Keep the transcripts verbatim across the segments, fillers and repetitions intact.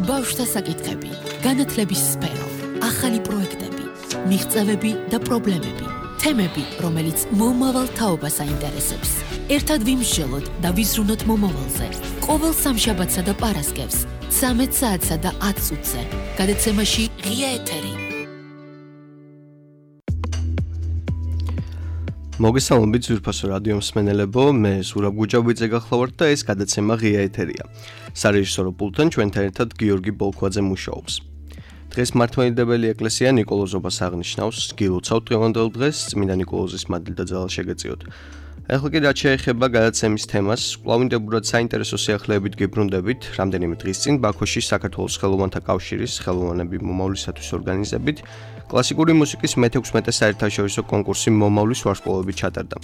ბავშვთა საკითხები, განათლების სფერო, ახალი პროექტები, მიღწევები და პრობლემები, თემები, რომელიც მომავალ თაობას აინტერესებს. ერთად ვიმსჯელოთ და ვიზრუნოთ მომავალზე. ყოველ სამშაბათსა და პარასკევს, ცამეტ საათსა და ათ წუთზე. გადაცემაში ღია ეთერი. მოგესალმებით ძვირფასო რადიო მსმენელებო, მე ზურაბ გუჯაბიძე გახლავართ და ეს გადაცემა ღია ეთერია. სარეჟისორო პულტთან ჩვენთან ერთად გიორგი ბოლქვაძე მუშაობს. დღეს მართლმადიდებელი ეკლესია ნიკოლოზობას აღნიშნავს, გილოცავთ დღევანდელ დღეს, წმინდა ნიკოლოზის მადლი და ძალა შეგეწიოთ. ახლა კი რაც შეეხება გადაცემის თემას, კვლავინდებურად საინტერესო სიახლეებით გებრუნდებით, რამდენიმე დღის წინ ბაქოში საქართველოს ხელოვანთა კავშირის ხელოვანები მომავლისათვის ორგანიზებით კლასიკური მუსიკის მეთექვსმეტე საერთაშორისო კონკურსი მომავლის ვარსკვლავები ჩატარდა.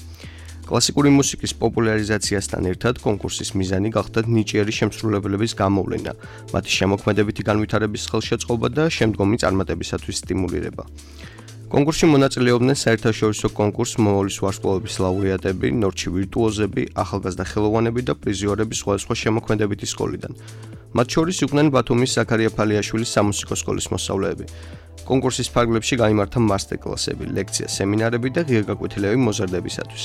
კლასიკური მუსიკის პოპულარიზაციასთან ერთად კონკურსის მიზანი გახდა ნიჭიერი შემსრულებლების გამოვლენა, მათი შემოქმედებითი განვითარების ხელშეწყობა და შემდგომი წარმატებისათვის სტიმულირება. კონკურსში მონაწილეობდნენ საერთაშორისო კონკურს მომავლის ვარსკვლავების ლაურეატები, ნორჩი ვირტუოზები, ახალგაზრდა ხელოვანები და პრიზიორები სხვადასხვა შემოქმედებითი სკოლიდან. მათ შორის იყვნენ ბათუმის ზაქარია ფალიაშვილის სამუსიკო სკოლის მოსწავლეები. კონკურსის ფარგლებში გაიმართა მასტერკლასები, ლექცია, სემინარები და ღირგაკვეთილები მოზარდებისათვის.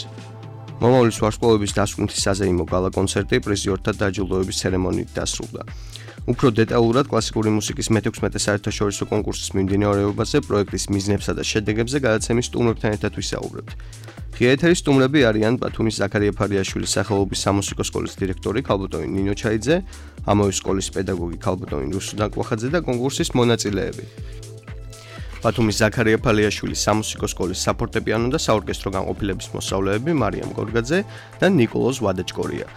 მომავლის ვარსკვლავების დასკვნითი საზეიმო გალა კონცერტი პრიზიორთა დაჯილდოების ცერემონიით დასრულდა. უფრო დეტალურად კლასიკური მუსიკის მეთექვსმეტე საერთაშორისო კონკურსის მიმდინარეობაზე, პროექტის მიზნებსა და შედეგებზე გადაცემის სტუმრებთან ერთად ვისაუბრებთ. ღია ეთერის სტუმრები არიან ბათუმის ზაქარია ფალიაშვილის სახელობის სამუსიკო სკოლის დირექტორი ქალბატონი ნინო ჩაიძე, ამავე სკოლის პედაგოგი ქალბატონი რუსუ დაკوخაძე და კონკურსის მონაწილეები. ბათუმის ზაქარია ფალიაშვილის სამუსიკო სკოლის საფორტეპიანო და საორკესტრო განყოფილების მოსწავლეები მარიამ გორგაძე და ნიკოლოზ ვადაჭკორია.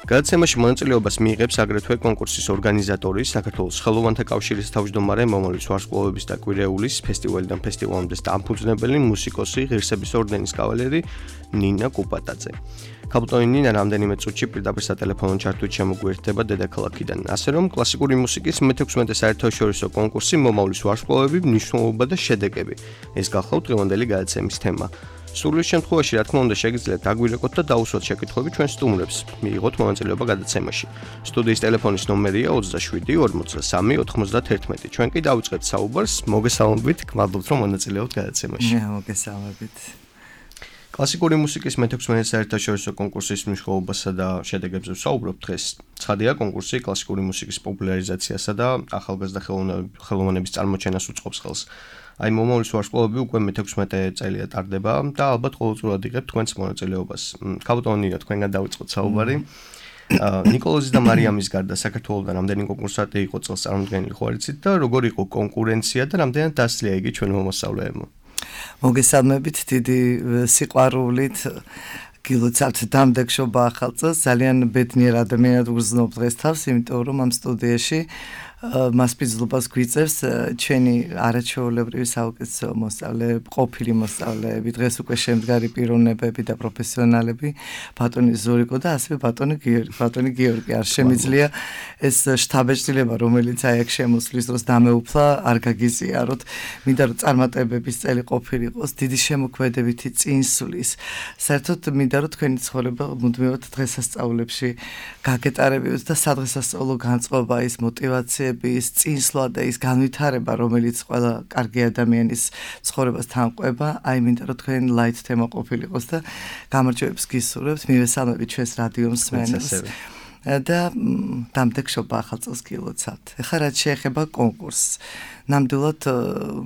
გადაცემაში მონაწილეობას მიიღებს აგრეთვე კონკურსის ორგანიზატორი, საქართველოს ხელოვანთა კავშირის თავმჯდომარე, მომავლის ვარსკვლავების და კვირეულის ფესტივალიდან ფესტივალამდე დამფუძნებელი მუსიკოსი, ღირსების ორდენის კავალერი ნინა კუპატაძე. ქალბატონი ნინა რამდენიმე წუთში პირდაპირ სატელეფონო ჩართვით შემოგვიერთდება დედაქალაქიდან, ასე რომ კლასიკური მუსიკის მეთექვსმეტე საერთაშორისო კონკურსი მომავლის ვარსკვლავები, მნიშვნელობა და შედეგები. ეს გახლავთ დღევანდელი გადაცემის თემა. სურვილის შემთხვევაში, რა თქმა უნდა, შეგიძლიათ დაგვირეკოთ და დაუსვათ შეკითხვები ჩვენ სტუმრებს, მიიღოთ მონაწილეობა გადაცემაში. სტუდიის ტელეფონის ნომერია ოცდაშვიდი ორმოცდასამი ოთხმოცდაათერთმეტი. ჩვენ კი დავიწყებთ საუბარს. მოგესალმებით, გმადლობთ რომ მონაწილეობთ გადაცემაში. მოგესალმებით. კლასიკური მუსიკის მეთექვსმეტე საერთაშორისო კონკურსის მნიშვნელობასა და შედეგებზე ვსაუბრობთ დღეს. ცხადია, კონკურსი კლასიკური მუსიკის პოპულარიზაციასა და ახალგაზრდა ხელოვნების წარმოჩენას უწყობს ხელს. აი მომავლის ვარსკვლავები უკვე მეთექვსმეტე წელია ტარდება და ალბათ ყოველწლიურად იღებთ თქვენს მონაწილეობას. ქალბატონი ნინო, თქვენგან დავიწყოთ საუბარი. ნიკოლოზის და მარიამის გარდა საქართველოსთან რამდენი კონკურსანტი იყო წელს წარმოდგენილი ხო არიცით და როგორ იყო კონკურენცია და რამდენად დასწრია იგი ჩვენ მომასწავლეებმა? მოგესალმებით, დიდი სიყვარულით გილოცავთ დამდეგშობა ახალ წელს. ძალიან ბედნიერ ადამიანად ვგრძნობ დღეს თავს, იმიტომ რომ ამ სტუდიაში მასპინძლობას გვიწევს ჩვენი არაჩვეულებრივი საუკეთესო მოსწავლეები, ყოფილი მოსწავლეები, დღეს უკვე შემდგარი პიროვნებები და პროფესიონალები, ბატონი ზურიკო და ასევე ბატონი გიორგი, ბატონი გიორგი. არ შემიძლია ეს შთაბეჭდილება, რომელიც აი აქ შემოსვლის დროს დამეუფლა, არ გაგიზიაროთ. მინდა რომ წარმატებების წელი ყოფილიყოს, დიდი შემოქმედებითი წინსვლის. საერთოდ მინდა რომ თქვენი ცხოვრება მუდმივად დღესასწაულებში გაგეტარებიოთ და სადღესასწაულო განწყობა, ის мотиваცია ის წინსვლა და ის განვითარება, რომელიც ყველა კარგი ადამიანის ცხოვრებას თანყვება, აი მინდა რომ თქვენ ლაით თემა ყოფილიყოს და გამარჯვებებს გისურვებთ, მივესალმებით ჩვენს რადიო მსმენელს და დამდეგშობა ახალ წელს გილოცავთ. ეხლა რაც შეეხება კონკურსს, ნამდვილად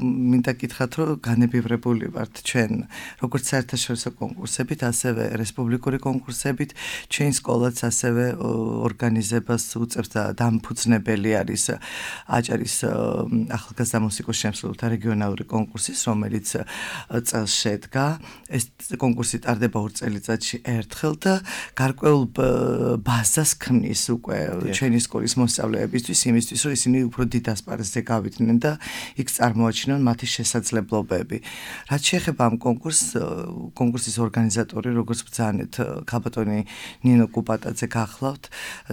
მინდა გითხრათ, რომ განებივრებული ვართ ჩვენ როგორც საერთაშორისო კონკურსებით, ასევე რესპუბლიკური კონკურსებით, ჩვენი სკოლაც ასევე ორგანიზებას უწევს და დამფუძნებელი არის აჭარის ახალგაზრდა მუსიკოს შემსრულებელთა რეგიონალური კონკურსის, რომელიც წელს შედგა. ეს კონკურსი ტარდება ორ წელიწადში ერთხელ და გარკვეულ ბაზას ქმნის უკვე ჩვენი სკოლის მოსწავლეებისთვის, იმისთვის, რომ ისინი უფრო დიდ ასპარეზზე გავიდნენ და იქ წარმოაჩინონ მათი შესაძლებლობები. რაც შეეხება ამ კონკურსს, კონკურსის ორგანიზატორი, როგორც ბრძანეთ, ქალბატონი ნინო კუპატაძე გახლავთ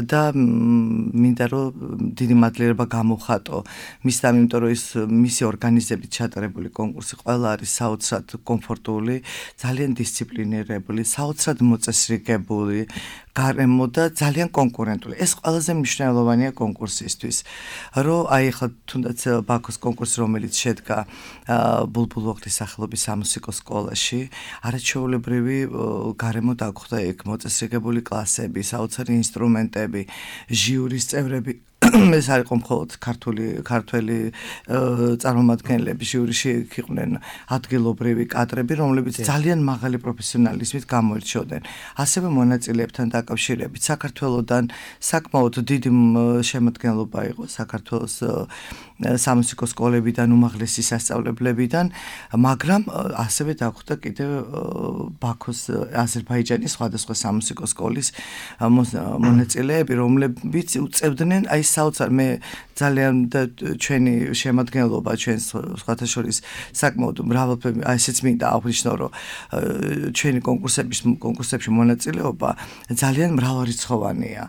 და მინდა რომ დიდი მადლიერება გამოვხატო მისთან, იმიტომ რომ ის მისი ორგანიზებით ჩატარებული კონკურსი ყველა არის საოცრად კომფორტული, ძალიან დისციპლინირებული, საოცრად მოწესრიგებული, გარემო და ძალიან კონკურენტული. ეს ყველაზე მნიშვნელოვანია კონკურსისთვის, რომ აი ხა თუნდაც ბაქოს კონკურსი, რომელიც შედგა ბულბულოღლის სახელობის სამუსიკო სკოლაში, არაჩვეულებრივი გარემო დაგხვდა იქ მოწესრიგებული კლასები, საოცარი ინსტრუმენტები, ჟიურის წევრები ეს არ იყო მხოლოდ ქართული ქართველი წარმომადგენლები ჟიურიში იყვნენ ადგილობრივი კადრები, რომლებიც ძალიან მაღალი პროფესიონალიზმით გამოირჩეოდნენ. ასევე მონაწილეებთან დაკავშირებით საქართველოსდან საკმაოდ დიდი შემადგენლობა იყო საქართველოს სამუსიკო სკოლებიდან, უმაღლესი სასწავლებლებიდან, მაგრამ ასევე დაგხვდა კიდევ ბაქოს აზერბაიჯანის სხვადასხვა სამუსიკო სკოლის მონაწილეები, რომლებიც უწევდნენ აი საოცარ მე ძალიან და ჩვენი შემადგენლობა ჩვენს სხვათა შორის საკმაოდ მრავალფეროვანი აი ესეც მინდა აღვნიშნო რომ ჩვენი კონკურსების კონკურსებში მონაწილეობა ძალიან მრავალრიცხოვანია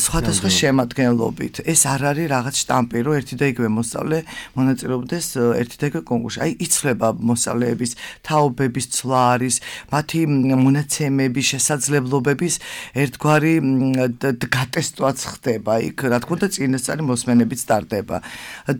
სხვადასხვა შემადგენლობით ეს არ არის რაღაც შტამპი რომ ერთი და იგივე მოსწავლე მონაწილეობდეს ერთი და იგივე კონკურსში აი იცვლება მოსწავლეების თაობების ცვლა არის მათი მონაცემების შესაძლებლობების ერთგვარი გატესტვაც ხდება იქ რა თქმა უნდა წინასწარი მოსმენებიც ტარდება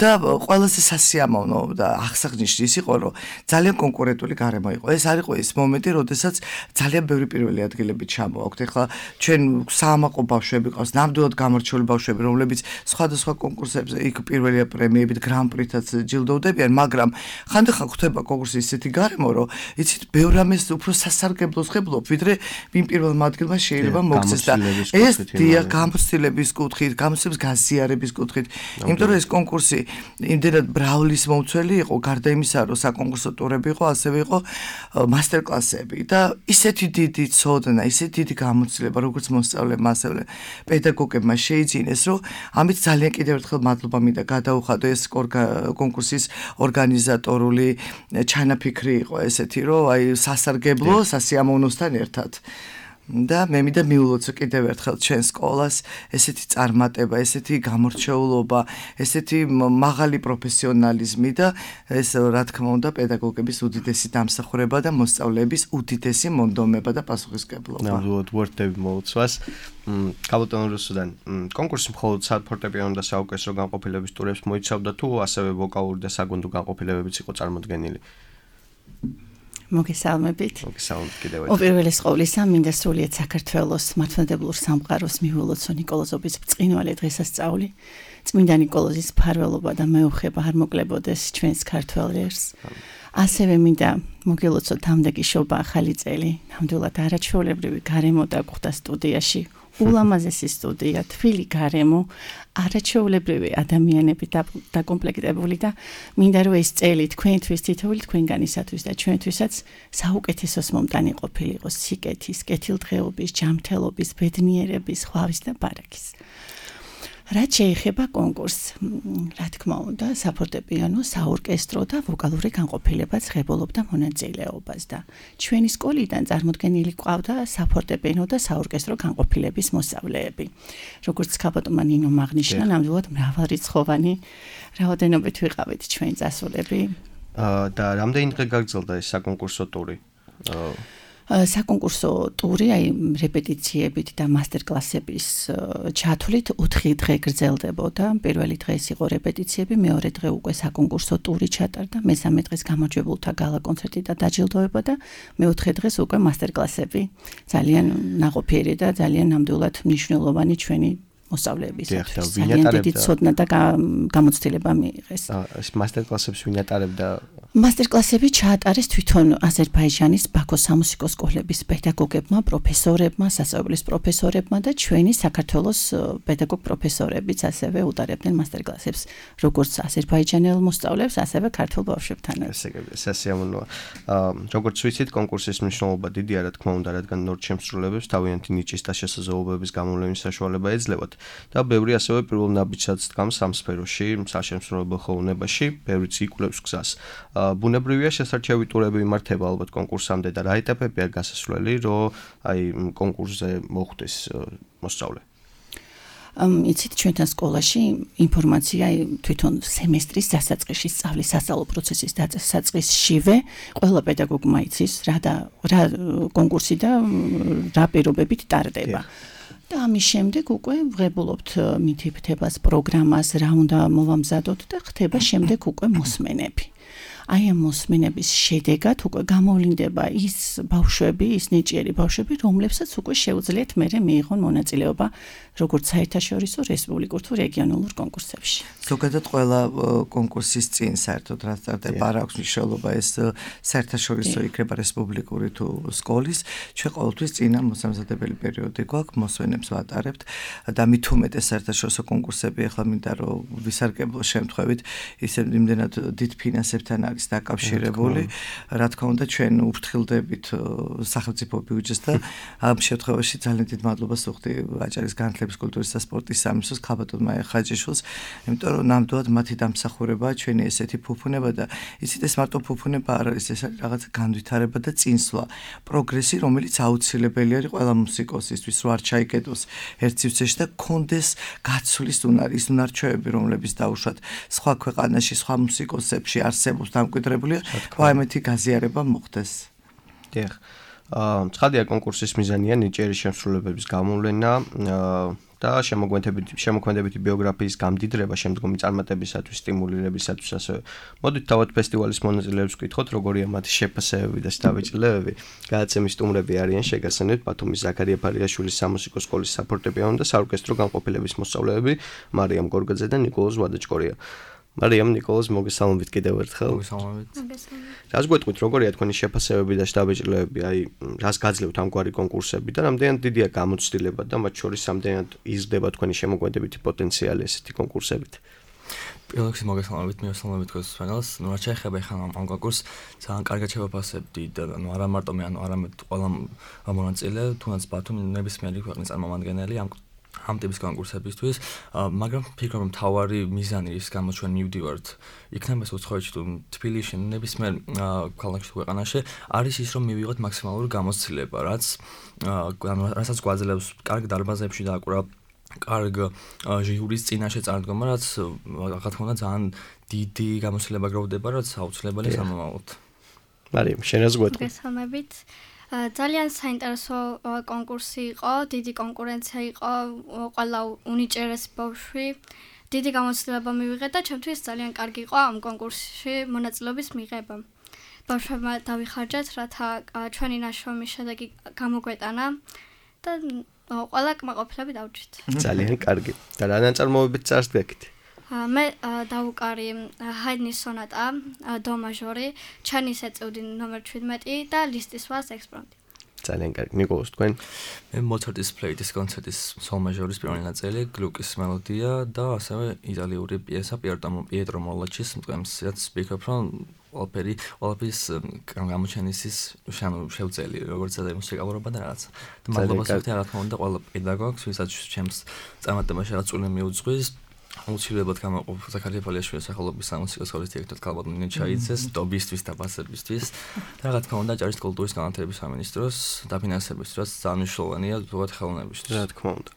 და ყველაზე სასიამოვნო და აღსანიშნავი ის იყო რომ ძალიან კონკურენტული გარემო იყო ეს არ იყო ის მომენტი როდესაც ძალიან ბევრი პირველი ადგილები ჩამოაქვთ ეხლა ჩვენ საამაყო ბავშვები ყავს ნამდვილად გამორჩეული ბავშვები რომლებიც სხვადასხვა კონკურსებზე იქ პირველი პრემიებით გრან-პრითაც ჯილდოვდებიან მაგრამ ხანდახან ხდება კონკურსი ისეთი გარემო რომ იცით ბევრ რამეს უფრო სასარგებლოს ხებლობ ვიდრე ვინ პირველმა ადგილმა შეიძლება მოგცეს და ეს დია გამოცდილების კუთხით გამოცდილების გაზიარების კუთხით იმიტომ რომ ეს კონკურსი იმდენად ბრაულის მომცველი იყო გარდა იმისა რომ საკონკურსო ტურები იყო ასევე იყო მასტერკლასები და ისეთი დიდი ცოდნა ისეთი დიდი გამოცდილება როგორც მოსწავლებმა ასევე პედაგოგებმა შეიძინეს რომ ამით ძალიან კიდევ ერთხელ მადლობა მინდა გადაუხადო ეს კონკურსის ორგანიზატორული ჩანაფიქრი იყო ესეთი რომ აი სასარგებლო სასიამოვნოსთან ერთად და მე მინდა მიულოცო კიდევ ერთხელ ჩვენ სკოლას ესეთი წარმატება, ესეთი გამორჩეულობა, ესეთი მაღალი პროფესიონალიზმი და ეს რა თქმა უნდა პედაგოგების უდიდესი დამსახურება და მოსწავლეების უდიდესი მონდომება და პასუხისმგებლობა. ნამდვილად ვორდები მოუწვას. კაბოტონ რუსუდან კონკურსი მხოლოდ ფორტეპიანო და საორკესტრო განყოფილების ტურებს მოიცავდა თუ ასევე ვოკალური და საგუნდო განყოფილებებიც იყო წარმოდგენილი? მოგესალმებით. მოგესალმებით კიდევ ერთხელ. უპირველეს ყოვლისა მინდა სრულიად საქართველოს მართლმადებლურ სამყაროს მიულოცო ნიკოლოზობის ბრწყინვალე დღესასწაული. წმინდა ნიკოლოზის მფარველობა და მეუხება არ მოკლებოდეს ჩვენს ქართველ ერს. ასევე მინდა მოგელოცო თამდაგი შობა ახალი წელი. ნამდვილად არაჩვეულებრივი გარემო დაგხვდა სტუდიაში. ულამაზესი სტუდია, თბილი გარემო, არაჩვეულებრივი ადამიანები დაკომპლექტებული და მინდა რომ ეს წელი თქვენთვის თითოეული თქვენგანისათვის და ჩვენთვისაც საუკეთესოს მომტანი ყოფილიყო სიკეთის, კეთილდღეობის, ჯანმრთელობის, ბედნიერების, ხვავის და ბარაქის. რაც შეეხება კონკურსს, რა თქმა უნდა, საფორტეპიანო, საორკესტრო და ვოკალური განყოფილება ღებულობდა მონაწილეობას და ჩვენი სკოლიდან წარმოდგენილი ყავდა საფორტეპიანო და საორკესტრო განყოფილების მოსწავლეები. როგორც კაბოტონმა ნინომ აღნიშნა, ნამდვილად მრავალრიცხოვანი რაოდენობით ვიყავით ჩვენ წასულები. და რამდენი დღე გაგრძელდა ეს საკონკურსო ტური? საკონკურსო ტური, აი რეპეტიციებით და მასტერკლასების ჩათვლით ოთხი დღე გრძელდებოდა. პირველი დღე ეს იყო რეპეტიციები, მეორე დღე უკვე საკონკურსო ტური ჩატარდა, მესამე დღეს გამარჯვებულთა გალა კონცერტი და დაჯილდოება და მეოთხე დღეს უკვე მასტერკლასები. ძალიან ნაყოფიერი და ძალიან ნამდვილად მნიშვნელოვანი ჩვენი მოსწავლეებისათვის. ძალიან დიდი ცოდნა და გამოცდილება მიიღეს. ეს მასტერკლასებს ვინ ატარებდა? მასტერკლასები ჩაატარეს თვითონ აზერბაიჯანის ბაქოს სამუსიკო სკოლების პედაგოგებმა, პროფესორებმა, სასწავლებლის პროფესორებმა და ჩვენი საქართველოს პედაგოგ პროფესორებიც ასევე უტარებდნენ მასტერკლასებს, როგორც აზერბაიჯანელ მოსწავლეებს, ასევე ქართულ ბავშვებთანაც. ეს სასიამოვნოა. როგორც ვიცით, კონკურსის მნიშვნელობა დიდია, რა თქმა უნდა, რადგან ნორჩ შემსრულებელს თავიანთი ნიჭის და შესაძლებლობების გამოვლენის საშუალება ეძლევათ და ბევრი ასევე პირველ ნაბიჯსაც დგამს ამ სფეროში, საშემსრულებლო ხელოვნებაში, ბევრიც იკვლევს გზას. ბუნებრივია შესარჩევი ტურები იმართება ალბათ კონკურსამდე და რა ეტაპებია გასასვლელი, რომ აი კონკურსზე მოხვდეს მოსწავლე? იცით ჩვენთან სკოლაში ინფორმაცია თვითონ სემესტრის დასაწყისში სწავლის სასწავლო პროცესის დასაწყისშივე ყველა პედაგოგმა იცის რა და რა კონკურსი და რა პირობებით ტარდება. და ამის შემდეგ უკვე ვღებულობთ მითითებას პროგრამას, რა უნდა მოვამზადოთ და ხდება შემდეგ უკვე მოსმენები. აი ამ მოსმენების შედეგად უკვე გამოვლინდება ის ბავშვები, ის ნიჭიერი ბავშვები, რომლებსაც უკვე შეუძლიათ მერე მიიღონ მონაწილეობა როგორც საერთაშორისო, რესპუბლიკურ თუ რეგიონულ კონკურსებში. ზოგადად ყველა კონკურსის წინ საერთოდ რაც ტარდება არ აქვს მნიშვნელობა ეს საერთაშორისო იქნება რესპუბლიკური თუ სკოლის, ჩვენ ყოველთვის წინა მოსამზადებელი პერიოდი გვაქვს, მოსვენებს ვატარებთ და მით უმეტეს საერთაშორისო კონკურსები ახლა მინდა რომ ვისარგებლო შემთხვევით ისე იმდენად დიდ ფინანსებთან არის დაკავშირებული, რა თქმა უნდა ჩვენ უფრთხილდებით სახელმწიფო ბიუჯეტს და ამ შემთხვევაში ძალიან დიდ მადლობას ვუხდი აჭარის განათლების, კულტურის და სპორტის სამინისტროს ქალბატონმა ხაჯიშვილს, იმიტომ რომ ნამდვილად მათი დამსახურებაა ჩვენი ესეთი ფუფუნება და იცით ეს მარტო ფუფუნება არ არის, ეს არის რაღაც განვითარება და წინსვლა, პროგრესი, რომელიც აუცილებელი არის ყველა მუსიკოსისთვის, რომ არ ჩაიკეტოს ერთ სივრცეში და კონდეს გაცვლის უნარი, ის უნარჩვევები, რომლებიც დაუშვათ სხვა ქვეყანაში, სხვა მუსიკოსებში არსებობს დამკვიდრებულია, ამეთი გაზიარება მოხდეს. დიახ. აა ცხადია კონკურსის მიზანია ნიჭიერი შემსრულებლების გამოვლენა და შემოქმედებითი შემოქმედებითი ბიოგრაფიის გამდიდრება შემდგომი წარმატებისათვის, სტიმულირებისათვის ასევე. მოდით თავად ფესტივალის მონაწილეებს ვკითხოთ, როგორია მათი შეფასებები და შთაბეჭდილებები. გადაცემის სტუმრები არიან შეგასცენებთ ბათუმის ზაქარია ფარიაშვილის სამუსიკო სკოლის საფორტეპიანო და საორკესტრო განყოფილების მოსწავლეები მარიამ გორგაძე და ნიკოლოზ ვადაჭკორია. მარიამ, ნიკოლოზ, მოგესალმებით კიდევ ერთხელ. მოგესალმებით. რას გვეტყვით, როგორია თქვენი შეფასებები და შთაბეჭდილებები, აი, რას გაძლევთ ამგვარი კონკურსები და რამდენად დიდია გამოცდილება და მათ შორის რამდენად იზრდება თქვენი შემოქმედებითი პოტენციალი ესეთი კონკურსებით? პირველ რიგში მოგესალმებით, მივესალმებით თქვენს მსმენელს. ნუ რა შეეხება ახლა ამ კონკურსს, ძალიან კარგად შევაფასებდი და ნუ არა მარტო მე, ანუ არამედ ყველა მონაწილე, თუნდაც ბათუმის ნებისმიერი ქვეყნის წარმომადგენელი ამ ამ ტიპის კონკურსებისთვის, მაგრამ ფიქრობ რომ თავარი მიზანი ის გამო ჩვენ მივდივართ იქნება ეს უცხოეთში თუ თბილისში, ნებისმიერ ქალაქში თუ ქვეყანაში, არის ის რომ მივიღოთ მაქსიმალური გამოცდილება, რაც რასაც გვაძლევს კარგ დარბაზებში დააკვრა, კარგ ჟიურის წინაშე წარდგომა, რაც რა თქმა უნდა ძალიან დიდი გამოცდილება გროვდება, რაც აუცილებელია სამომავლოდ. მარიამ, შენ რას გვეტყვი? მოგესალმებით. ძალიან საინტერესო კონკურსი იყო, დიდი კონკურენცია იყო, ყველა უნიჭერესი ბავშვი, დიდი გამოცდილება მივიღეთ და ჩემთვის ძალიან კარგი იყო ამ კონკურსში მონაწილეობის მიღება. ბავშვებმა დავიხარჯეთ, რათა ჩვენი ნაშრომის შედეგი გამოგვეტანა და ყველა კმაყოფილებით დავჭით. ძალიან კარგი. და რა ნაწარმოებით წარს გეკით? მე დავუკარი ჰაიდნის სონატა, დო მაჟორი, ჩანის ეწეოდი ნომერ შვიდმეტი და ლისტის ვალს ექსპრომტი. ძალიან კარგი. ნიკოლოზ, თქვენ? მე მოცარტის ფლეიტის კონცერტის სოლ მაჟორის პირველი ნაწილი, გლუკის მელოდია და ასევე იტალიური პიესა პიეტრო მოლაჩის მტკვრის, რაც ვფიქრობ, რომ ყველაფერი, ყველაფრის გამოჩენის ის შევწელი, როგორც და მუსიკალურობა და რაღაც. და მადლობას ვუხდი რა თქმა უნდა ყველა პედაგოგს, ვისაც ჩემს წარმატებაში რაღაც წვლილი მიუძღვის. აუცილებლად გამოყოფ ზაქარია ფარიაშვილის სახელობის სამუსიკო სკოლის დირექტორ ქალბატონ ნინო ჩაიძეს დობისთვის და ბასებისთვის და რა თქმა უნდა აჭარის კულტურის განათლების სამინისტროს დაფინანსებისთვის, ძალიან მნიშვნელოვანია ზოგადად ხელოვნებისთვის. რა თქმა უნდა.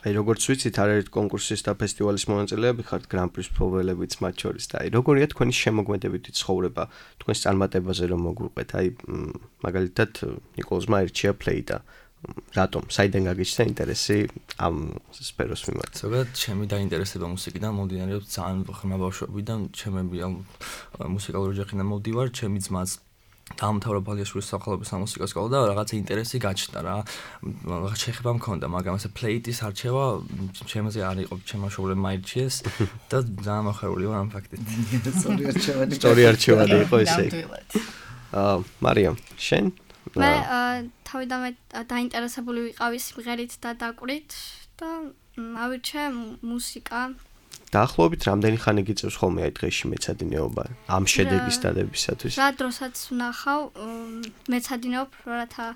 აი როგორც ვიცით, არაერთ კონკურსის და ფესტივალის მონაწილეები ხართ გრან-პრის მფლობელებიც მათ შორის და აი როგორია თქვენი შემოქმედებითი ცხოვრება თქვენს წარმატებაზე რომ მოგვიყვეთ? აი მაგალითად ნიკოლოზმა ერჩია ფლეიტა. რატომ? საიდან გაგიჩნდა ინტერესი ამ სფეროს მიმართ? ზოგადად, ჩემი დაინტერესება მუსიკიდან მომდინარეობს ძალიან ღრმა ბავშვობიდან, ჩემები ამ მუსიკალური ოჯახიდან მოვდივარ, ჩემი ძმაც დაამთავრა ფარიაშვილის სახელობის სამუსიკო სკოლა და რაღაცა ინტერესი გაჩნდა რა. რაღაც შეხება მქონდა, მაგრამ ასე ფლეიტის არჩევა ჩემზე არ იყო, ჩემმა მშობლებმა აირჩიეს და ძალიან მოხარული ვარ ამ ფაქტით. სწორი არჩევანი. სწორი არჩევანი იყო ესე. აა მარიამ, შენ? მე თავიდანვე დაინტერესებული ვიყავი სიმღერით და დაკვირით და ავირჩე მუსიკა. დაახლოებით რამდენი ხანი გიწევს ხოლმე აი დღეში მეცადინეობა ამ შედეგის დადებისათვის? რა დროსაც ვნახავ, მეცადინეობ, რათა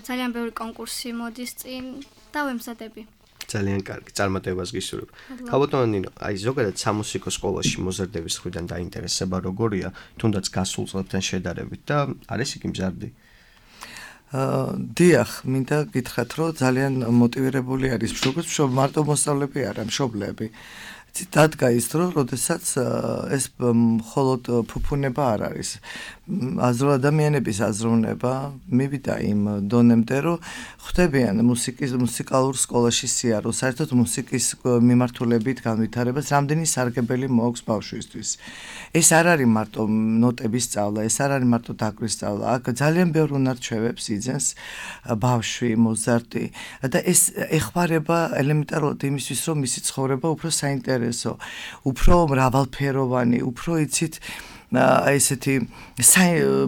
ძალიან ბევრი კონკურსი მოდის წინ და ვემზადები. ძალიან კარგი, წარმატებას გისურვებ. ქალბატონო ნინო, აი ზოგადად სამუსიკო სკოლაში მოზარდების მხრიდან დაინტერესება როგორია, თუნდაც გასულ წლებთან შედარებით და არის იგი მზარდი? დიახ, მინდა გითხრათ, რომ ძალიან მოტივირებული არის როგორც მშობ მარტო მოსწავლეები არა, მშობლები. დადგა ის დრო, როდესაც ეს მხოლოდ ფუფუნება არ არის. აზრო ადამიანების აზროვნება მივიდა იმ დონემდე, რომ ხვდებიან მუსიკის მუსიკალურ სკოლაში სიარულს, საერთოდ მუსიკის მიმართულებით განვითარებას რამდენი სარგებელი მოაქვს ბავშვისთვის. ეს არ არის მარტო ნოტების სწავლა, ეს არ არის მარტო დაკვრის სწავლა. აქ ძალიან ბევრ უნარ-ჩვევებს იძენს ბავშვი, მოზარდი და ეს ეხმარება ელემენტარულად იმისთვის, რომ მისი ცხოვრება უფრო საინტერესო, უფრო მრავალფეროვანი, უფრო იცით აი ესეთი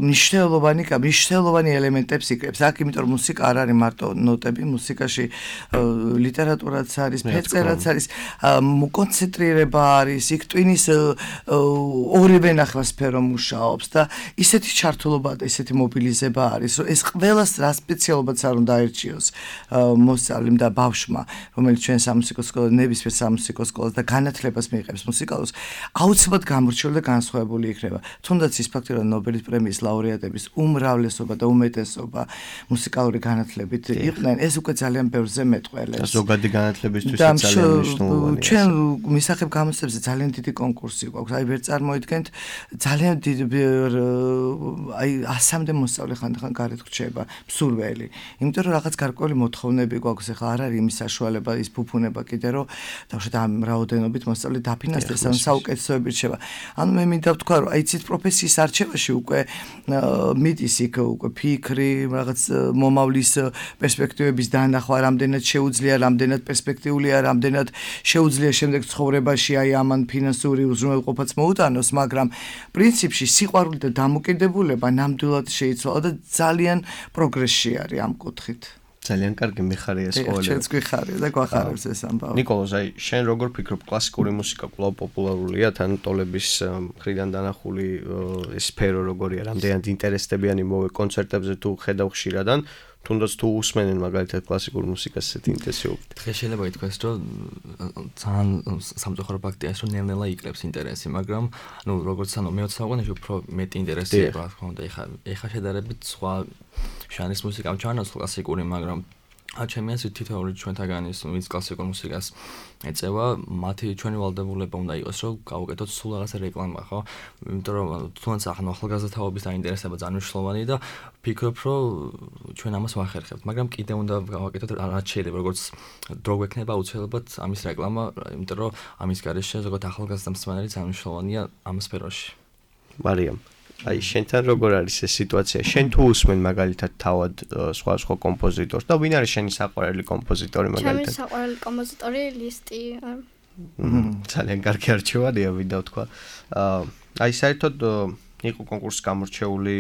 მნიშვნელოვანი მნიშვნელოვანი ელემენტებს იკრებს. აქ იმიტომ რომ მუსიკა არ არის მარტო ნოტები, მუსიკაში ლიტერატურაც არის, ფერწერაც არის, კონცენტრირება არის, იქ ტვინის ორივე ნახევარ სფერო მუშაობს და ისეთი ჩართულობა და ისეთი მობილიზება არის, რომ ეს ყველას რა სპეციალობაც არ უნდა აერჩიოს მოსწავლემ და ბავშვმა, რომელიც ჩვენ სამუსიკო სკოლაში, ნებისმიერ სამუსიკო სკოლას და განათლებას მიიღებს მუსიკალურს, აუცილებლად გამორჩეული და განსხვავებული იქნება. თუნდაც ის ფაქტი, რომ ნობელის პრემიის ლაურეატების უმრავლესობა და უმეტესობა მუსიკალური განათლებით იყვნენ, ეს უკვე ძალიან ბევრზე მეტყველებს. ზოგადი განათლებისთვის ძალიან მნიშვნელოვანია. ჩვენ მისახებ გამოცდებზე ძალიან დიდი კონკურსი გვაქვს. აი ვერ წარმოიდგენთ, ძალიან დიდი აი ასამდე მოსწავლე ხანდახან გარეთ ხრჩება, მსურველი. იმიტომ რომ რაღაც გარკვეული მოთხოვნები გვაქვს, ახლა არ არის იმის საშუალება, ის ფუფუნება კიდე რომ დავშოთ ამ რაოდენობით მოსწავლე დაფინანსდეს, ან საუკეთესოები რჩება. ანუ მე მინდა ვთქვა, რომ იცით პროფესიის არჩევაში უკვე მიდის იქ უკვე ფიქრი, რაღაც მომავლის პერსპექტივების დანახვა, რამდენად შეუძლია, რამდენად პერსპექტიულია, რამდენად შეუძლია შემდეგ ცხოვრებაში აი ამან ფინანსური უზრუნველყოფაც მოუტანოს, მაგრამ პრინციპში სიყვარული და დამოკიდებულება ნამდვილად შეიცვალა და ძალიან პროგრესში არის ამ კუთხით. ძალიან კარგი მიხარია სკოლები. ჩვენც გვიხარია და გვახარებს ეს ამბავი. ნიკოლოზ, აი შენ როგორ ფიქრობ, კლასიკური მუსიკა კვლავ პოპულარულია, თან ტოლების მხრიდან დანახული ეს სფერო როგორია, რამდენად ინტერესდებიანი მოვა კონცერტებზე თუ ხედავ ხშირადან, თუნდაც თუ უსმენენ მაგალითად კლასიკურ მუსიკას ესეთი ინტენსივობით. დღეს შეიძლება ითქვას, რომ ძალიან სამწუხარო ფაქტია, რომ ნელ-ნელა იკრებს ინტერესი, მაგრამ ნუ როგორც ანუ მეოცე საუკუნეში უფრო მეტი ინტერესი იყო, რა თქმა უნდა, ეხა ეხა შედარებით სხვა ჟანრის მუსიკამ ჩანოს კლასიკური, მაგრამ ჩემი აზრით თითოეული ჩვენთაგანის, ვინც კლასიკურ მუსიკას ეწევა, მათი ჩვენი ვალდებულება უნდა იყოს, რომ გავუკეთოთ სულ რაღაცა რეკლამა, ხო? იმიტომ რომ თუნდაც ახლა ახალგაზრდაობის დაინტერესება ძალიან მნიშვნელოვანია და ფიქრობ, რომ ჩვენ ამას ვახერხებთ, მაგრამ კიდე უნდა გავაკეთოთ რაც შეიძლება, როგორც დრო გვექნება აუცილებლად ამის რეკლამა, იმიტომ რომ ამის გარეშე ზოგადად ახალგაზრდა მსმენელი ძალიან მნიშვნელოვანია ამ სფეროში. მარიამ, აი შენთან როგორ არის ეს სიტუაცია? შენ თუ უსმენ მაგალითად თავად სხვა სხვა კომპოზიტორს და ვინ არის შენი საყვარელი კომპოზიტორი მაგალითად? ჩემი საყვარელი კომპოზიტორი ლისტი. ძალიან კარგი არჩევანია, ვინდა ვთქვა. აი საერთოდ იყო კონკურსის გამორჩეული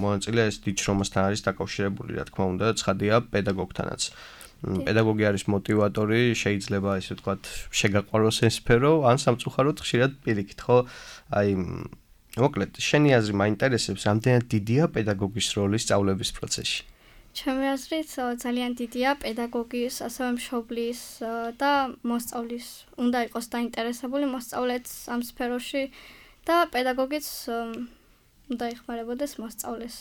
მონაწილე, ეს დიჯრომასთან არის დაკავშირებული, რა თქმა უნდა, ცხადია პედაგოგთანაც. პედაგოგი არის მოტივატორი, შეიძლება ისე ვთქვათ, შეგაყვაროს ეს სფერო, ან სამწუხაროდ ხშირად პირიქით, ხო? აი მოკლედ, შენი აზრი მაინტერესებს, რამდენად დიდია პედაგოგის როლი სწავლების პროცესში? ჩემი აზრით ძალიან დიდია პედაგოგის, ასევე მშობლის და მოსწავლის. უნდა იყოს დაინტერესებული მოსწავლეც ამ სფეროში და პედაგოგიც უნდა ეხმარებოდეს მოსწავლეს.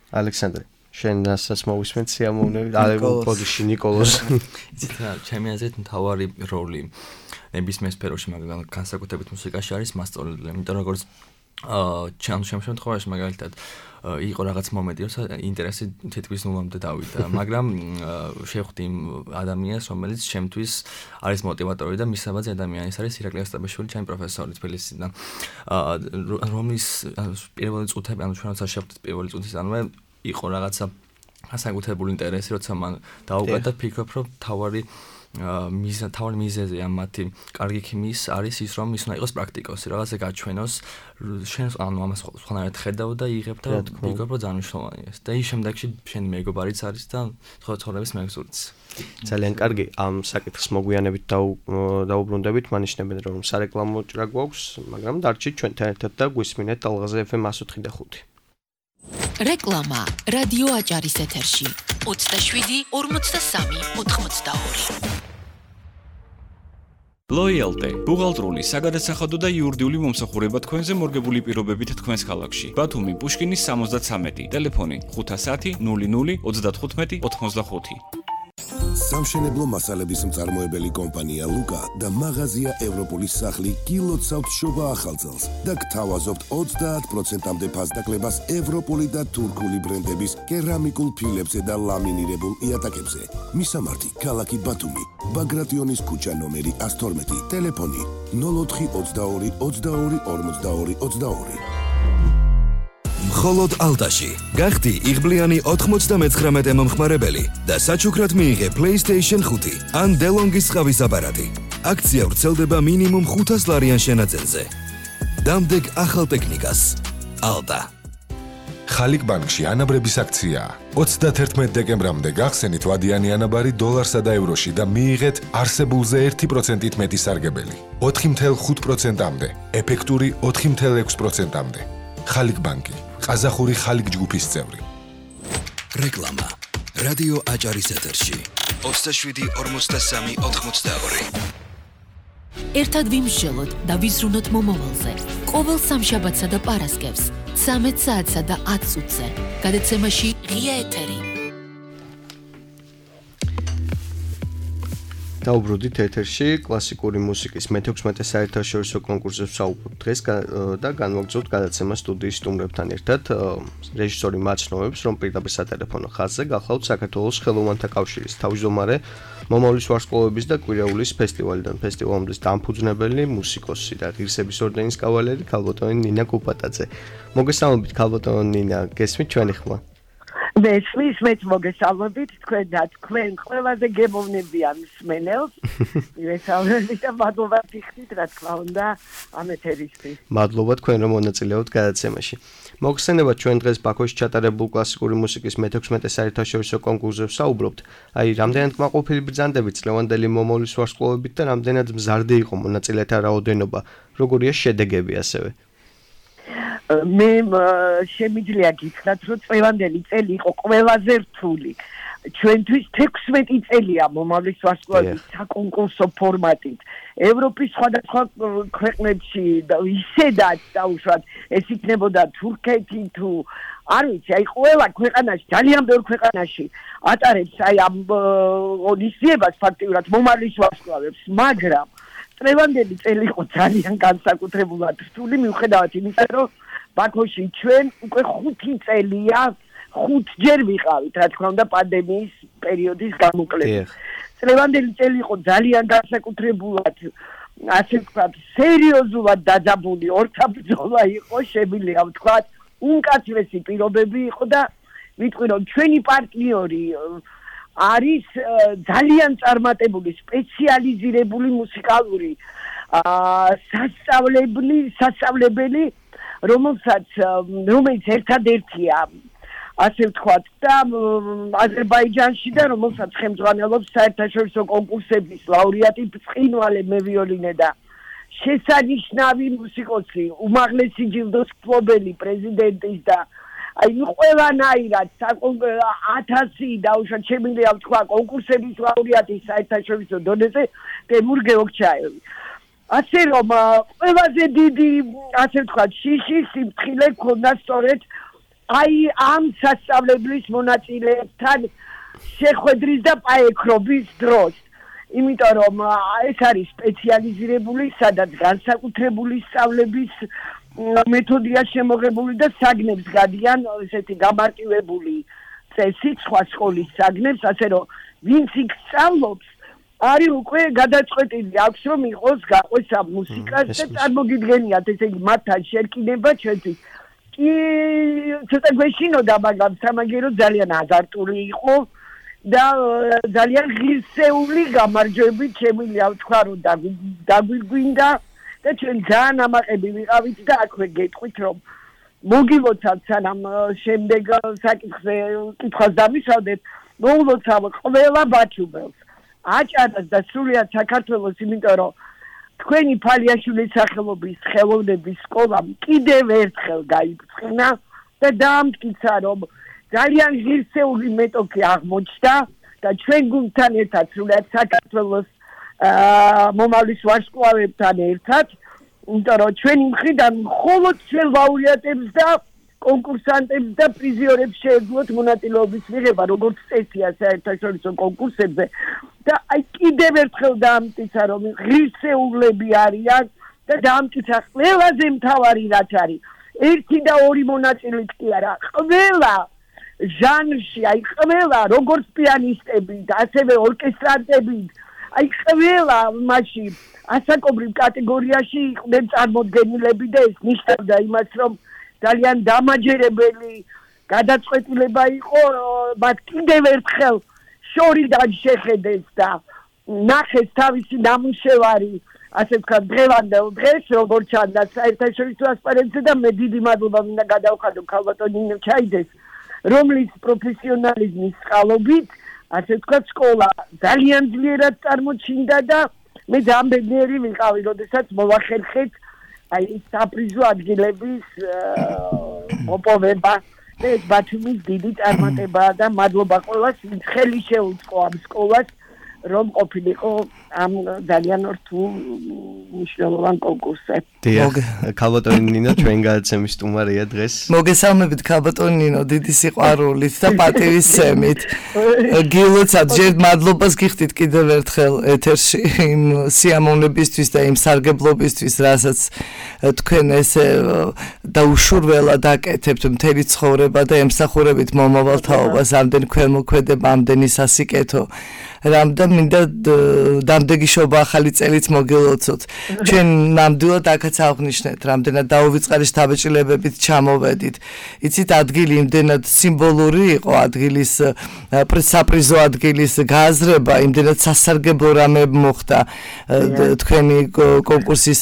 ალექსანდრე, შენ რასაც მოვისმენთ სიამოვნებით, ალექსანდრე ნიკოლოზ. ჩემი აზრით მთავარი როლი ნებისმიერ სფეროში, მაგრამ განსაკუთრებით მუსიკაში არის მასწავლებელი, იმიტომ როგორც აა ჩემ შემთხვევაში მაგალითად იყო რაღაც მომენტი, რომ ინტერესი თითქმის ნულამდე დავიდა, მაგრამ შევხვდი იმ ადამიანს, რომელიც ჩემთვის არის მოტივატორი და მისაბაძე ადამიანის არის ირაკლი ოსტაბაშვილი, ჩემი პროფესორი თბილისიდან. აა რომლის პირველი წუთები, ანუ ჩვენ როცა შევხვდით პირველი წუთისანვე იყო რაღაცა განსაკუთრებული ინტერესი, როცა მან დაუკვირდა და ფიქრობ, რომ თავარი მიზა თავი მიზეზი ამ მათი კარგი ქიმიის არის ის, რომ ის უნდა იყოს პრაქტიკოსი, რაღაცა გაჩვენოს, შენ ანუ ამას სხვანაირად ხედავ და იღებ და ფიქრობ, რომ ძალიან მნიშვნელოვანია ეს. და ის შემდეგში შენი მეგობარიც არის და ცხოვრების მეგზურიც. ძალიან კარგი, ამ საკითხს მოგვიანებით დაუბრუნდებით, მანიშნებენ რომ სარეკლამო ჭრა გვაქვს, მაგრამ დარჩით ჩვენთან ერთად და გვისმინეთ ალღაზე ეფ ემ εκατს ოთხი და ხუთი. რეკლამა რადიო აჭარის ეთერში ოცდაშვიდი ორმოცდასამი ოთხმოცდაორი. Loyalty ბუღალტრული, საგადასახადო და იურიდიული მომსახურება თქვენზე მორგებული პირობებით თქვენს ქალაქში. ბათუმი, პუშკინის სამოცდათვრამეტი, ტელეფონი ხუთასათი ნული ნული ოცდათხუთმეტი ოთხმოცდახუთი. სამშენებლო მასალების მწარმოებელი კომპანია ლუკა და მაღაზია ევროპოლის სახლი გილოცავთ შობა ახალწელს და გთავაზობთ ოცდაათ პროცენტამდე ფასდაკლებას ევროპული და თურქული ბრენდების კერამიკულ ფილებზე და ლამინირებულ იატაკებზე. მისამართი ქალაქი ბათუმი, ბაგრატიონის ქუჩა ნომერი one twelve, ტელეფონი nol ოთხი ოცდაორი ოცდაორი ორმოცდაორი ოცდაორი. მხოლოდ ალტაში გახდი იღბლიანი ოთხმოცდამეცხრამეტე მომხმარებელი და საჩუქრად მიიღე PlayStation five ან DeLonghi-ის ყავის აპარატი. აქცია ვრცელდება მინიმუმ ხუთას ლარიან შენაძენზე. დამდეგ ახალ ტექნიკას. ალტა. ხალიკ ბანკში ანაბრების აქციაა. ოცდათერთმეტ დეკემბრამდე გახსენით ვადიანი ანაბარი დოლარსა და ევროში და მიიღეთ არსებულზე ერთი პროცენტით მეტი სარგებელი. ოთხი ათეული ხუთი პროცენტამდე, ეფექტური ოთხი ათეული ექვსი პროცენტამდე. ხალიკ ბანკი. ყაზახური ხალიკ ჯგუფის წევრი. რეკლამა. რადიო აჭარის ეთერში. ოცდაშვიდი ორმოცდასამი ოთხმოცდაორი. ერთად ვიმსჯელოთ და ვიზრუნოთ მომავალზე. ყოველ სამშაბათსა და პარასკევს, ცამეტ საათსა და ათ წუთზე. გადაცემაში ღია ეთერი. დაუბრუნდით ეთერში კლასიკური მუსიკის მეთექვსმეტე საერთაშორისო კონკურსზე ვსაუბრობთ დღეს და განვაგრძობთ გადაცემას სტუდიის სტუმრებთან ერთად. რეჟისორი მაცნობს, რომ პირდაპირ სატელეფონო ხაზზე გახლავთ საქართველოს ხელოვანთა კავშირის თავმჯდომარე, მომავლის ვარსკვლავების და კვირაულის ფესტივალიდან ფესტივალის დამფუძნებელი, მუსიკოსი და ღირსების ორდენის კავალერი ქალბატონი ნინა კუპატაძე. მოგესალმებით ქალბატონი ნინა, გესმით ჩვენი ხმა? მესმის მეც მოგესალმებით თქვენ და თქვენ ყველაზე გემოვნებიან მსმენელს. მოგესალმებით და მადლობა გიხდით რა თქმა უნდა ამ ეთერისთვის. მადლობა თქვენ რომ მონაწილეობთ გადაცემაში. მოგხსენებათ ჩვენ დღეს ბაქოში ჩატარებულ კლასიკური მუსიკის მეთექვსმეტე საერთაშორისო კონკურსზე ვსაუბრობთ. აი, რამდენად კმაყოფილი ბრძანდებით წლევანდელი მომავლის ვარსკვლავებით და რამდენად მზარდი იყო მონაწილეთა რაოდენობა, როგორია შედეგები ასევე. მე შემიძლია გითხრათ, რომ წლევანდელი წელი იყო ყველაზე რთული. ჩვენთვის თექვსმეტი წელია მომავლის ვარსკვლავების საკონკურსო ფორმატით. ევროპის სხვადასხვა ქვეყნებში და ისედაც დაუშვათ, ეს იქნებოდა თურქეთი თუ არ ვიცი, აი ყველა ქვეყანაში, ძალიან ბევრ ქვეყანაში ატარებს აი ამ ოდისიებას ფაქტიურად მომავლის ვარსკვლავებს, მაგრამ წლევანდელი წელი იყო ძალიან განსაკუთრებულად რთული, მიუხედავად იმისა, რომ ბაქოში ჩვენ უკვე ხუთი წელია ხუთჯერ ვიყავით, რა თქმა უნდა, პანდემიის პერიოდის გამოკლებით. წლევანდელი წელი იყო ძალიან განსაკუთრებულად, ასე ვთქვათ, სერიოზულად დაძაბული ორთაბრძოლა იყო, შემიძლია ვთქვათ, უმკაცრესი პირობები იყო და ვიტყვი, რომ ჩვენი პარტნიორი არის ძალიან წარმატებული, სპეციალიზირებული მუსიკალური სასწავლებელი, სასწავლებელი, რომელსაც რომელიც ერთადერთია ასე ვთქვათ და აზერბაიჯანში და რომელსაც ხელმძღვანელობს საერთაშორისო კონკურსების ლაურეატი ბრწყინვალე მევიოლინე და შესანიშნავი მუსიკოსი, უმაღლესი ჯილდოს მფლობელი პრეზიდენტის და აი ყველანაირად ათასი დაუშვათ შემიძლია ვთქვა კონკურსების ლაურეატი საერთაშორისო დონეზე ტემურ გეოგჩაევი. ასე რომ ყველაზე დიდი ასე ვთქვათ შიში სიმწრილე ქონდა სწორედ აი ამ სასწავლებლის მონაწილეებთან შეხვედრის და პაექრობის დროს. იმიტომ რომ ეს არის სპეციალიზირებული, სადაც განსაკუთრებული სწავლების მეთოდია შემოღებული და საგნებს გადიან ესეთი გამარტივებული წესით სხვა სკოლის საგნებს, ასე რომ ვინც იქ სწავლობს არის უკვე გადაწყვეტილი აქვს რომ იყოს გაყვეს ამ მუსიკას და წარმოგიდგენიათ ესე იგი მათთან შერკინება ჩვენთვის კი ცოტა გვეშინოდა, მაგრამ სამაგერო ძალიან აზარტული იყო და ძალიან ღირსეული გამარჯვებით შემიძლია ვთქვა რომ დაგვირგვინდა და ჩვენ ძალიან ამაყები ვიყავით და აქვე გეტყვით რომ მოგილოცავთ სანამ შემდეგ საკითხზე კითხვას დამისვავდეთ, მოულოცავ ყველა ბაჩუბელს, აჭარას და სრულიად საქართველოს, იმიტომ რომ თქვენი ფალიაშვილის სახელობის ხელოვნების სკოლამ კიდევ ერთხელ გაიბრწყინა და დაამტკიცა რომ ძალიან ღირსეული მეტოქი აღმოჩნდა და ჩვენ გუნდთან ერთად სრულიად საქართველოს მომავლის ვარსკვლავებთან ერთად, იმიტომ რომ ჩვენი მხრიდან მხოლოდ ჩვენ ლაურეატებს და კონკურსანტებს და პრიზიორებს შეეძლოთ მონაწილეობის მიღება როგორც წესია საერთაშორისო კონკურსებზე და აი კიდევ ერთხელ დაამტკიცა რომ ღირსეულები არიან და დაამტკიცა ყველაზე მთავარი რაც არის ერთი და ორი მონაწილით კი არა ყველა ჟანრში აი ყველა როგორც პიანისტები და ასევე ორკესტრანტები აი ყველა მასში ასაკობრივ კატეგორიაში იყვნენ წარმოდგენილები და ეს ნიშნავდა იმას რომ ძალიან დამაჯერებელი გადაწყვეტილება იყო მათ კიდევ ერთხელ შორიდან შეხედეს და ნახეს თავისი ნამუშევარი ასე ვთქვათ დღევანდელ დღეს როგორც ჩანდა საერთაშორისო ასპარეზზე და მე დიდი მადლობა მინდა გადავხადო ქალბატონ ნინო ჩაიდეს რომლის პროფესიონალიზმის წყალობით ასე ვთქვათ სკოლა ძალიან ძლიერად წარმოჩინდა და მე ძალიან ბედნიერი ვიყავი როდესაც მოვახერხეთ აი საპრიზო ადგილების მოპოვება და ეს ბათუმის დიდი წარმატებაა და მადლობა ყველას ვინც ხელი შეუწყო ამ სკოლას რომ ყოფილიყო ამ ძალიან რთულ მნიშვნელოვან კონკურსზე. დიახ, ქალბატონი ნინო ჩვენ გადაცემის სტუმარია დღეს. მოგესალმებით ქალბატონი ნინო, დიდი სიყვარულით და პატივისცემით. გილოცავთ, ჯერ მადლობას გიხდით კიდევ ერთხელ ეთერში იმ სიამოვნებისთვის და იმ სარგებლობისთვის, რასაც თქვენ ესე დაუშურველად აკეთებთ მთელი ცხოვრება და ემსახურებით მომავალ თაობას, ამდენ ქველმოქმედება, ამდენი სასიკეთო. რამდა მინდა დამდეგი შობა ახალი წელიც მოგილოცოთ. ჩვენ ნამდვილად აქაც აღნიშნეთ, რამდენად დაუვიწყარი შთაბეჭდილებებით ჩამოვედით. იცით, ადგილი იმდენად სიმბოლური იყო, ადგილის საპრიზო ადგილის გააზრება, იმდენად სასარგებლო რამე მოხდა თქვენი კონკურსის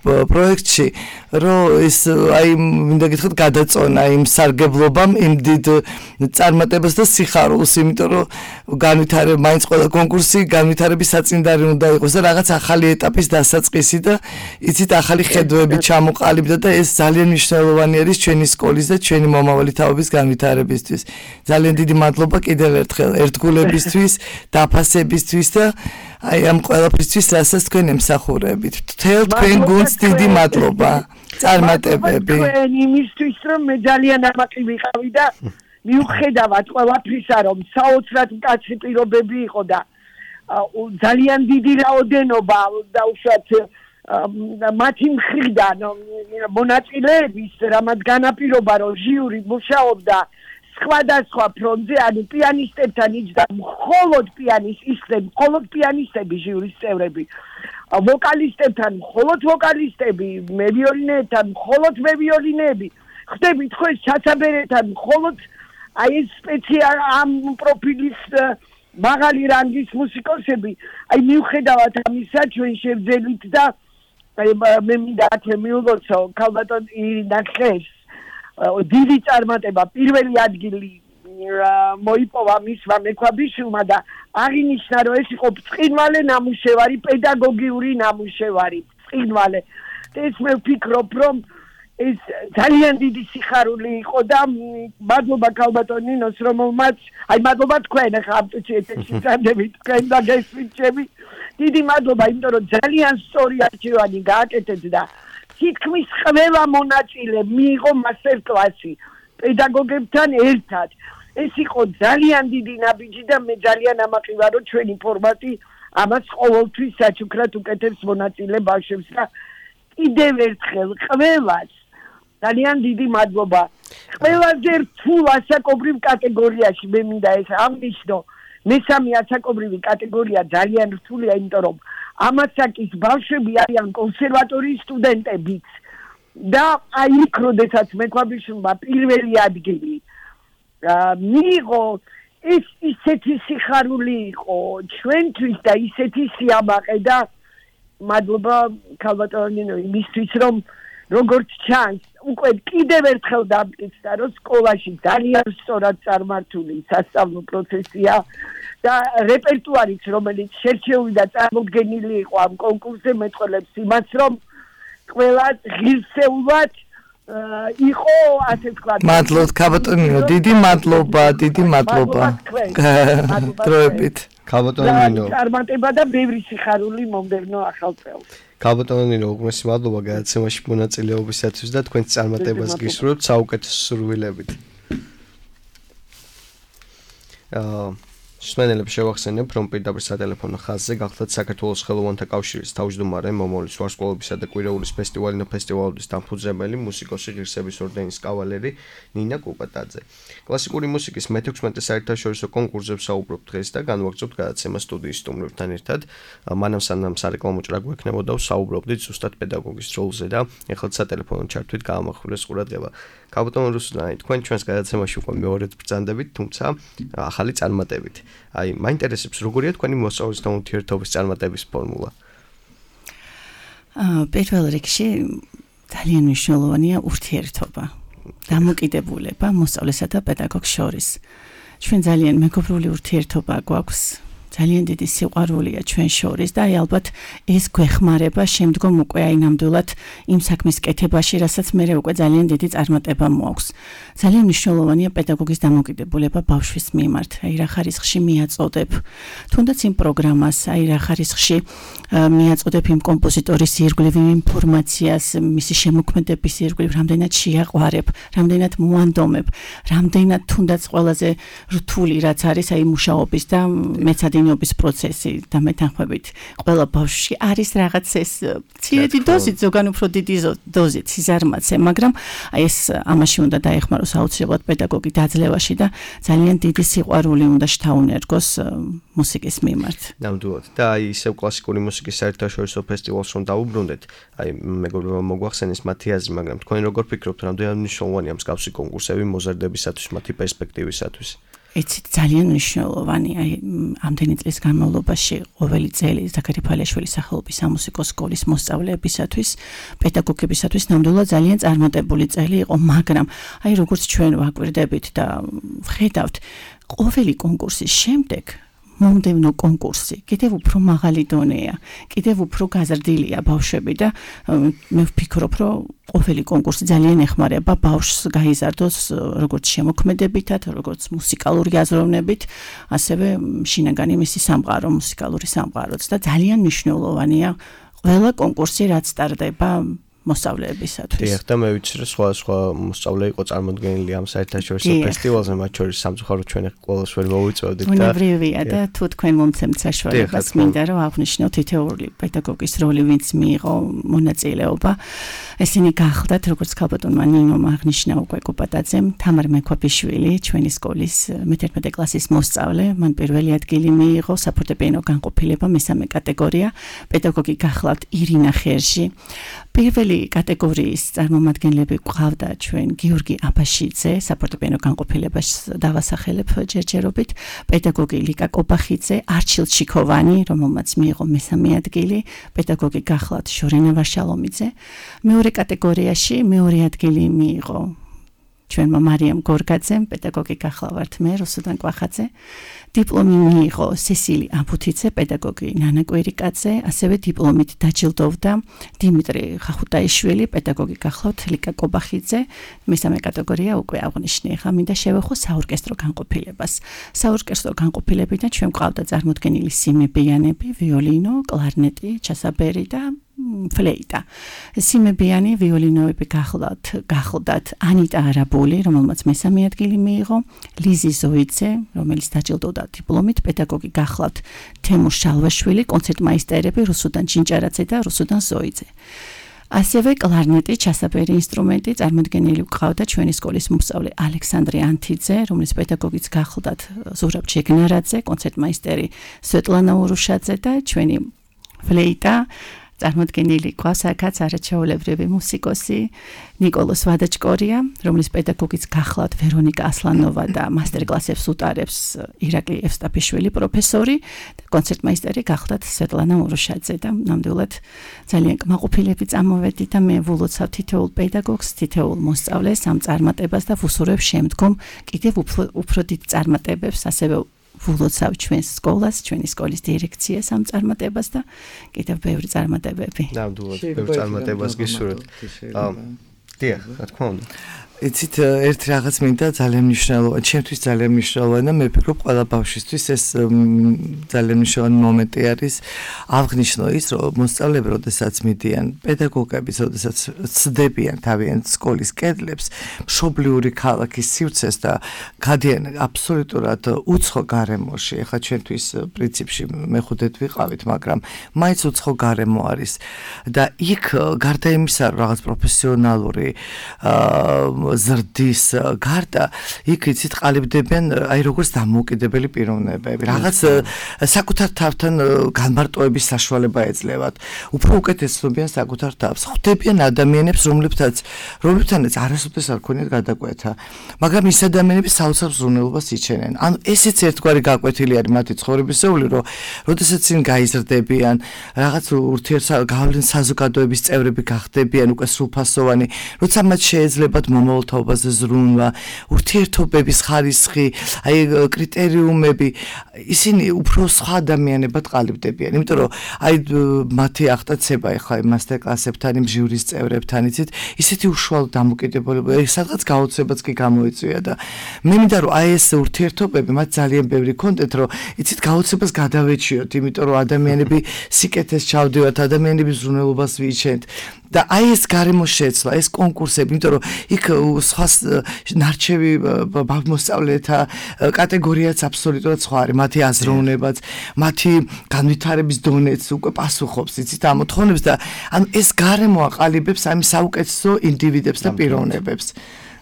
პროექტში, რომ ეს აი მინდა გითხრათ გადაწონა იმ სარგებლობამ, იმ დიდ წარმატებას და სიხარულს, იმიტომ რომ განვითარება მაინც ყველა კონკურსი განვითარების საწინდარი უნდა იყოს და რაღაც ახალი ეტაპის დასაწყისი და იცით ახალი ხედვები ჩამოყალიბდა და ეს ძალიან მნიშვნელოვანი არის ჩვენი სკოლის და ჩვენი მომავალი თაობის განვითარებისთვის. ძალიან დიდი მადლობა კიდევ ერთხელ ერთგულებისთვის, დაფასებისთვის და აი ამ ყველაფრისთვის, რასაც თქვენ ემსახურებით. მთელ თქვენ გუნდს დიდი მადლობა. წარმატებები. თქვენ იმისთვის რომ მე ძალიან ამაყი ვიყავი და მიუხედავად ყველაფრისა რომ საოცრად მკაცრი პირობები იყო და ძალიან დიდი რაოდენობა და უშუალოდ მათი მხრიდან მონაწილეების რამაც განაპირობა რომ ჟიური მუშაობდა სხვადასხვა ფრონტზე ანუ პიანისტებთან იჯდა მხოლოდ პიანისტები მხოლოდ პიანისტები ჟიურის წევრები ვოკალისტებთან მხოლოდ ვოკალისტები მევიოლინეებთან მხოლოდ მევიოლინეები ხდებით ხო ეს ჩაცაბერებთან მხოლოდ აი ეს სპეციალ ამ პროფილის მაღალი რანგის მუსიკოსები აი მიუხედავად ამისა ჩვენ შევძელით და აი მე მინდა ათე მიულოცო ქალბატონ ირინა ხეს დიდი წარმატება პირველი ადგილი მოიპოვა მისმა მექვაბიშვილმა და აღინიშნა რომ ეს იყო ბრწყინვალე ნამუშევარი პედაგოგიური ნამუშევარი ბრწყინვალე ეს მე ვფიქრობ რომ ეს ძალიან დიდი სიხარული იყო და მადლობა ქალბატონ ნინოს რომელმაც აი მადლობა თქვენ ახლა ამ წუთში წამდებით თქვენ და გესმით ჩემი დიდი მადლობა იმიტომ რომ ძალიან სწორი არჩევანი გააკეთეთ და თითქმის ყველა მონაწილე მიიღო მასტერ კლასი პედაგოგებთან ერთად ეს იყო ძალიან დიდი ნაბიჯი და მე ძალიან ამაყი ვარ რომ ჩვენი ფორმატი ამას ყოველთვის საჩუქრად უკეთებს მონაწილე ბავშვებს და კიდევ ერთხელ ყველას ძალიან დიდი მადლობა. ყველაზე რთულ ასაკობრივ კატეგორიაში მე მინდა ეს აღნიშნო. მესამე ასაკობრივი კატეგორია ძალიან რთულია, იმიტომ რომ ამასაკის ბავშვები არიან კონსერვატორიის სტუდენტებიც. და აი იქ როდესაც მექვაბიშვილმა პირველი ადგილი მიიღო ეს ისეთი სიხარული იყო ჩვენთვის და ისეთი სიამაყე და მადლობა ქალბატონ ნინო იმისთვის რომ როგორც ჩანს უკვე კიდევ ერთხელ დამტკიცდა რომ სკოლაში ძალიან სწორად წარმართული სასწავლო პროცესია და რეპერტუარიც რომელიც შერჩეული და წარმოდგენილი იყო ამ კონკურსზე მეტყველებს იმას რომ ყველა ღირსეულად იყო ასე ვთქვათ მადლობთ ქალბატონ ნინო დიდი მადლობა დიდი მადლობა დროებით ქალბატონ ნინო წარმატება და ბევრი სიხარული მომდევნო ახალ წელს კაბოტონინო უგმესი მადლობა გადაცემაში მონაწილეობისათვის და თქვენს წარმატებას გისურვებთ საუკეთესო სურვილებით. აა Სმენელებს შევახსენებ, რომ პირდაპირ სატელეფონო ხაზზე გახლდათ საქართველოს ხელოვანთა კავშირის თავმჯდომარე, მომავლის ვარსკვლავებისა და კვირაულის ფესტივალინა ფესტივალების დამფუძნებელი, მუსიკოსი, ღირსების ორდენის კავალერი ნინა კუპატაძე. კლასიკური მუსიკის მეთექვსმეტე საერთაშორისო კონკურსზე ვსაუბრობთ დღეს და განვაგრძობთ გადაცემას სტუდიის სტუმრებთან ერთად. მანამ სანამ სარეკლამო ჭრა გვექნებოდა, ვსაუბრობდით ზუსტად პედაგოგის როლზე და ეხლა სატელეფონო ჩართვით გაამახვილეს ყურადღება. კაბოტონ რუსლანი, თქვენ ჩვენს გადაცემაში უკვე მეორედ ბრძანდებით, თუმცა ახალი წარმატებით. აი, მაინტერესებს როგორია თქვენი მოსწავლეთა ურთიერთობის წარმატების ფორმულა? აა, პირველ რიგში ძალიან მნიშვნელოვანია ურთიერთობა, დამოკიდებულება მოსწავლესა და პედაგოგს შორის. ჩვენ ძალიან მეგობრული ურთიერთობა გვაქვს. ძალიან დიდი სიყვარულია ჩვენ შორის და აი ალბათ ეს გვეხმარება შემდგომ უკვე აი ნამდვილად იმ საქმის კეთებაში, რასაც მე უკვე ძალიან დიდი წარმატება მოაქვს. ძალიან მნიშვნელოვანია პედაგოგის დამოკიდებულება ბავშვის მიმართ. აი რა ხარისხში მიაწოდებ, თუნდაც იმ პროგრამას, აი რა ხარისხში მიაწოდებ იმ კომპოზიტორის ირგვლივ ინფორმაციას, მისი შემოქმედების ირგვლივ, რამდენად შეაყვარებ, რამდენად მოანდომებ, რამდენად თუნდაც ყველაზე რთული რაც არის აი მუშაობის და მეცადინეობის პროცესი და მეთანხმებით ყველა ბავშვში არის რაღაც ეს ცირედი დოზით, ზოგან უფრო დიდი დოზით სიზარმაცე, მაგრამ აი ეს ამაში უნდა დაეხმაროს აუცილებლად პედაგოგი დაძლევაში და ძალიან დიდი სიყვარული უნდა შთაუნერგოს მუსიკის მიმართ. ნამდვილად. და აი ისევ კლასიკური მუსიკის საერთაშორისო ფესტივალს რომ დავუბრუნდეთ, აი მეგობრებმა მოგვახსენეს მათი აზრი, მაგრამ თქვენ როგორ ფიქრობთ, რამდენად მნიშვნელოვანია მსგავსი კონკურსები მოზარდებისათვის, მათი პერსპექტივისათვის? ეცით ძალიან მნიშვნელოვანი, აი ამდენი წლის განმავლობაში ყოველი წელი ზაქარი ფალიაშვილის სახელობის სამუსიკო სკოლის მოსწავლეებისათვის, პედაგოგებისათვის ნამდვილად ძალიან წარმატებული წელი იყო, მაგრამ აი როგორც ჩვენ ვაკვირდებით და ვხედავთ, ყოველი კონკურსის შემდეგ მომდევნო კონკურსი კიდევ უფრო მაღალი დონეა, კიდევ უფრო გაზრდილია ბავშვები და მე ვფიქრობ, რომ ყოველი კონკურსი ძალიან ეხმარება ბავშვს გაიზარდოს როგორც შემოქმედებითად, როგორც მუსიკალური აზროვნებით, ასევე შინაგანი მისი სამყარო, მუსიკალური სამყაროც და ძალიან მნიშვნელოვანია ყველა კონკურსი რაც ტარდება მოსწავლეებისათვის. დიახ, და მე ვიცი, რომ სხვა სხვა მოსწავლე იყო წარმოდგენილი ამ საერთაშორისო ფესტივალზე, მათ შორის სამწუხაროდ ჩვენ ყველას ვერ მოვიწევდით და უნებრივია და თუ თქვენ მომცემთ საშუალებას, მინდა რომ აღვნიშნოთ თითოეული პედაგოგის როლი, ვინც მიიღო მონაწილეობა. ესენი გახლდათ, როგორც კაბოტონმა ნინომ აღნიშნა უკვე კუპატაძემ, თამარ მექვაბიშვილი, ჩვენი სკოლის მეთერთმეტე კლასის მოსწავლე, მან პირველი ადგილი მიიღო საფორტეპიანო განყოფილება მესამე კატეგორია, პედაგოგი გახლავთ ირინა ხერში. პირველი კატეგორიის წარმომადგენლები გვყავდა ჩვენ გიორგი აბაშიძე, საფორტეპიანო განყოფილებას დავასახელებ ჯერჯერობით, პედაგოგი ლიკა კობახიძე, არჩილ ჩიქოვანი, რომელმაც მიიღო მესამე ადგილი, პედაგოგი გახლავთ ჟორენა ვაშალომიძე. მეორე კატეგორიაში მეორე ადგილი მიიღო ჩვენმა მარიამ გორგაძემ, პედაგოგი გახლავართ მე, რუსუდან კვახაძე. დიპლომი მიიღო სესილი აბუთიძე, პედაგოგი ნანა კვირიკაძე, ასევე დიპლომით დაჯილდოვდა დიმიტრი ხახუტაიშვილი, პედაგოგი გახლავთ ლიკა კობახიძე. მესამე კატეგორია უკვე აღნიშნე. ხა მინდა შევეხო საორკესტრო განყოფილებას. საორკესტრო განყოფილებიდან ჩვენ გვყავდა წარმოდგენილი სიმებიანები, ვიოლინო, კლარნეტი, ჩასაბერი და ფლეიტა. სიმებიანი ვიოლინოები გახლავთ, გახლდათ ანიტა არაბული, რომელმაც მესამე ადგილი მიიღო, ლიზი ზოიძე, რომელიც დაჯილდოვდა დიპლომით, პედაგოგი გახლავთ თემურ შალვაშვილი, კონცერტმაისტერები რუსუდან ჩინჭარაძე და რუსუდან ზოიძე. ასევე კლარნეტი, ჩასაბერი ინსტრუმენტი წარმოდგენილი გვყავდა ჩვენი სკოლის მოსწავლე ალექსანდრე ანთიძე, რომლის პედაგოგიც გახლდათ ზურაბ ჯეგნარაძე, კონცერტმაისტერი სვეტლანა ურუშაძე და ჩვენი ფლეიტა წარმოდგენილი ყავს აქაც არაჩვეულებრივი მუსიკოსი ნიკოლოს ვადაჭკორია, რომლის პედაგოგიც გახლავთ ვერონიკა ასლანოვა და მასტერკლასებს უტარებს ირაკლი ევსტაფიშვილი პროფესორი და კონცერტმაისტერი გახლავთ სვეტლანა ურუშაძე და ნამდვილად ძალიან კმაყოფილები წამოვედით და მე ვულოცავ თითოეულ პედაგოგს, თითოეულ მოსწავლეს ამ წარმატებას და ვუსურვებ შემდგომ კიდევ უფრო უფრო დიდ წარმატებებს, ასევე ვულოცავ ჩვენს სკოლას, ჩვენი სკოლის დირექციას ამ წარმატებას და კიდევ ბევრი წარმატებები. ნამდვილად, ბევრი წარმატებას გისურვებთ. დიახ, რა თქმა უნდა. იცით ერთ რაღაც მინდა ძალიან მნიშვნელოვანი, ჩემთვის ძალიან მნიშვნელოვანი და მე ვფიქრობ ყველა ბავშვისთვის ეს ძალიან მნიშვნელოვანი მომენტი არის აღნიშნო ის რომ მოსწავლეები როდესაც მიდიან პედაგოგები როდესაც ცდებიან თავიანთ სკოლის კედლებს მშობლიური ქალაქის სივრცეს და გადიან აბსოლუტურად უცხო გარემოში ეხლა ჩვენთვის პრინციპში მეხუთედ ვიყავით მაგრამ მაინც უცხო გარემო არის და იქ გარდა იმისა რომ რაღაც პროფესიონალური ზრდის გარდა იქ იცით ყალიბდებიან აი როგორც დამოუკიდებელი პიროვნებები რაღაც საკუთარ თავთან განმარტოების საშუალება ეძლევათ უფრო უკეთესობიან საკუთარ თავს ხვდებიან ადამიანებს რომლებთაც რომლებთანაც არასოდეს არ ქონიათ გადაკვეთა მაგრამ ის ადამიანები საოცარ ზრუნველობას იჩენენ ანუ ესეც ერთგვარი გაკვეთილი არის მათი ცხოვრებისეული რომ როდესაც წინ გაიზრდებიან რაღაც ურთიერთგავლენ საზოგადოების წევრები გახდებიან უკვე სრულფასოვანი როცა მათ შეეძლებათ მომავალ თაობაზე ზრუნვა, ურთიერთობების ხარისხი, აი კრიტერიუმები, ისინი უფრო სხვა ადამიანებად ყალიბდებიან. იმიტომ რომ აი მათი აღტაცება ეხლა მასტერკლასებთან, იმ ჟიურის წევრებთან, იცით, ისეთი უშუალო დამოკიდებულება, სადღაც გაოცებაც კი გამოიწვია და მე მინდა რომ აი ეს ურთიერთობები მათ ძალიან ბევრი კონტენტ რომ იცით გაოცებას გადავეჩიოთ, იმიტომ რომ ადამიანები სიკეთეს ჩავდივართ, ადამიანების ზრუნველობას ვიჩენთ. და აი ეს გარემო შეცვლა, ეს კონკურსები, იმიტომ რომ იქ სხვა ნარჩევი მოსწავლეთა კატეგორიაც აბსოლუტურად სხვა არის, მათი აზროვნებაც, მათი განვითარების დონეც უკვე პასუხობს, იცით, ამ მოთხოვნებს და ანუ ეს გარემო აყალიბებს ამ საუკეთესო ინდივიდებს და პიროვნებებს.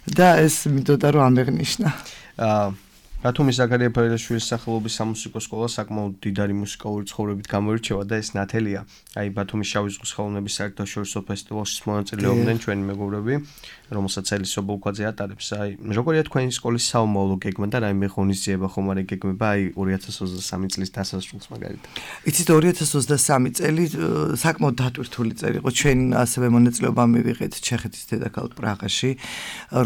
და ეს მინდოდა რომ ამეღნიშნა. აა ბათუმის ზაქარია ფარიაშვილის სახელობის სამუსიკო სკოლა საკმაოდ დიდარი მუსიკალური ცხოვრებით გამოირჩევა და ეს ნათელია. აი ბათუმის შავი ზღვის ხელოვნების საერთაშორისო ფესტივალში მონაწილეობდნენ ჩვენი მეგობრები, რომელსაც ელის ობოლქვაძე ატარებს. აი როგორია თქვენი სკოლის საომავლო გეგმა და რაიმე ღონისძიება ხომ არის გეგმება აი ორი ათას ოცდასამი წლის დასასრულს მაგალითად. იცით ორი ათას ოცდასამი წელი საკმაოდ დატვირთული წელი იყო. ჩვენ ასევე მონაწილეობა მივიღეთ ჩეხეთის დედაქალაქ პრაღაში.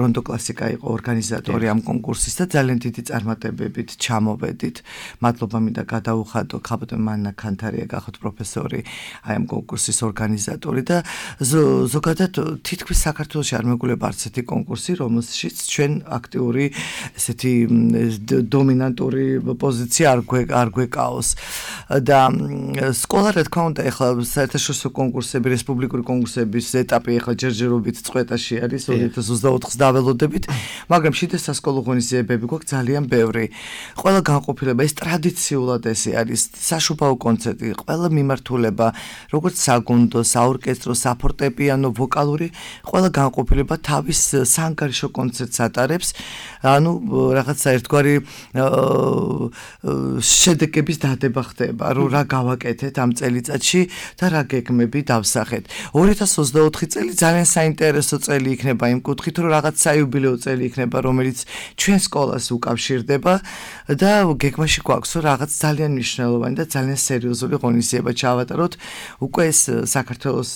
რონდო კლასიკა იყო ორგანიზატორი ამ კონკურსის და ძალიან დიდი წარმატებებით ჩამოვედით. მადლობა მინდა გადაუხადო ქაბოტე მანნა ქანთარია გახოთ პროფესორი აი ამ კონკურსის ორგანიზატორი და ზოგადად თითქმის საქართველოში არ მეგულება არც ერთი კონკურსი, რომელშიც ჩვენ აქტიური ესეთი დომინანტური პოზიცია არ არ გვეკაოს. და სკოლა რა თქმა უნდა ეხლა საერთაშორისო კონკურსები, რესპუბლიკური კონკურსების ეტაპი ეხლა ჯერჯერობით წყვეტაში არის ორი ათას ოცდაოთხს დაველოდებით, მაგრამ შიდა სასკოლო ღონისძიებები გვაქვს ძალიან ბევრი. ყველა განყოფილება ეს ტრადიციულად ესე არის საშუბაო კონცერტი, ყველა მიმართულება, როგორც საგუნდო, საორკესტრო, საფორტეპიანო, ვოკალური, ყველა განყოფილება თავის საანგარიშო კონცერტს ატარებს. ანუ რაღაცა ერთგვარი შედეგების დადება ხდება, რომ რა გავაკეთეთ ამ წელიწადში და რა გეგმები დავსახეთ. ორი ათას ოცდაოთხი წელი ძალიან საინტერესო წელი იქნება იმ კუთხით, რომ რაღაც საიუბილეო წელი იქნება, რომელიც ჩვენ სკოლას უკავშირდება და გეგმაში გვაქვს რომ რაღაც ძალიან მნიშვნელოვანი და ძალიან სერიოზული ღონისძიება ჩავატაროთ. უკვე ეს საქართველოს